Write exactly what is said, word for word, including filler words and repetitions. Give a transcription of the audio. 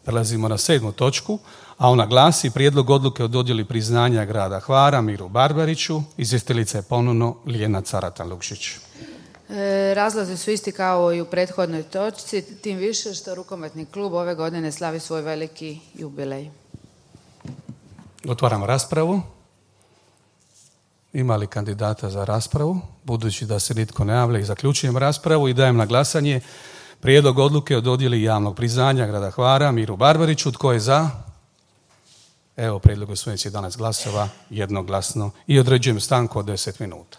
Prelazimo na sedmu točku, a ona glasi prijedlog odluke o dodjeli priznanja grada Hvara Miru Barbariću. Izvjestiteljica je ponovno Ljiljana Caratan-Lukšić. E, razlozi su isti kao i u prethodnoj točci, tim više što rukometni klub ove godine slavi svoj veliki jubilej. Otvaramo raspravu. Ima li kandidata za raspravu? Budući da se nitko ne javlja, i zaključujem raspravu i dajem na glasanje prijedlog odluke o dodjeli javnog priznanja grada Hvara Miru Barbariću. Tko je za? Evo, prijedlog usvojen s jedanaest glasova, jednoglasno, i određujem stanku od deset minuta.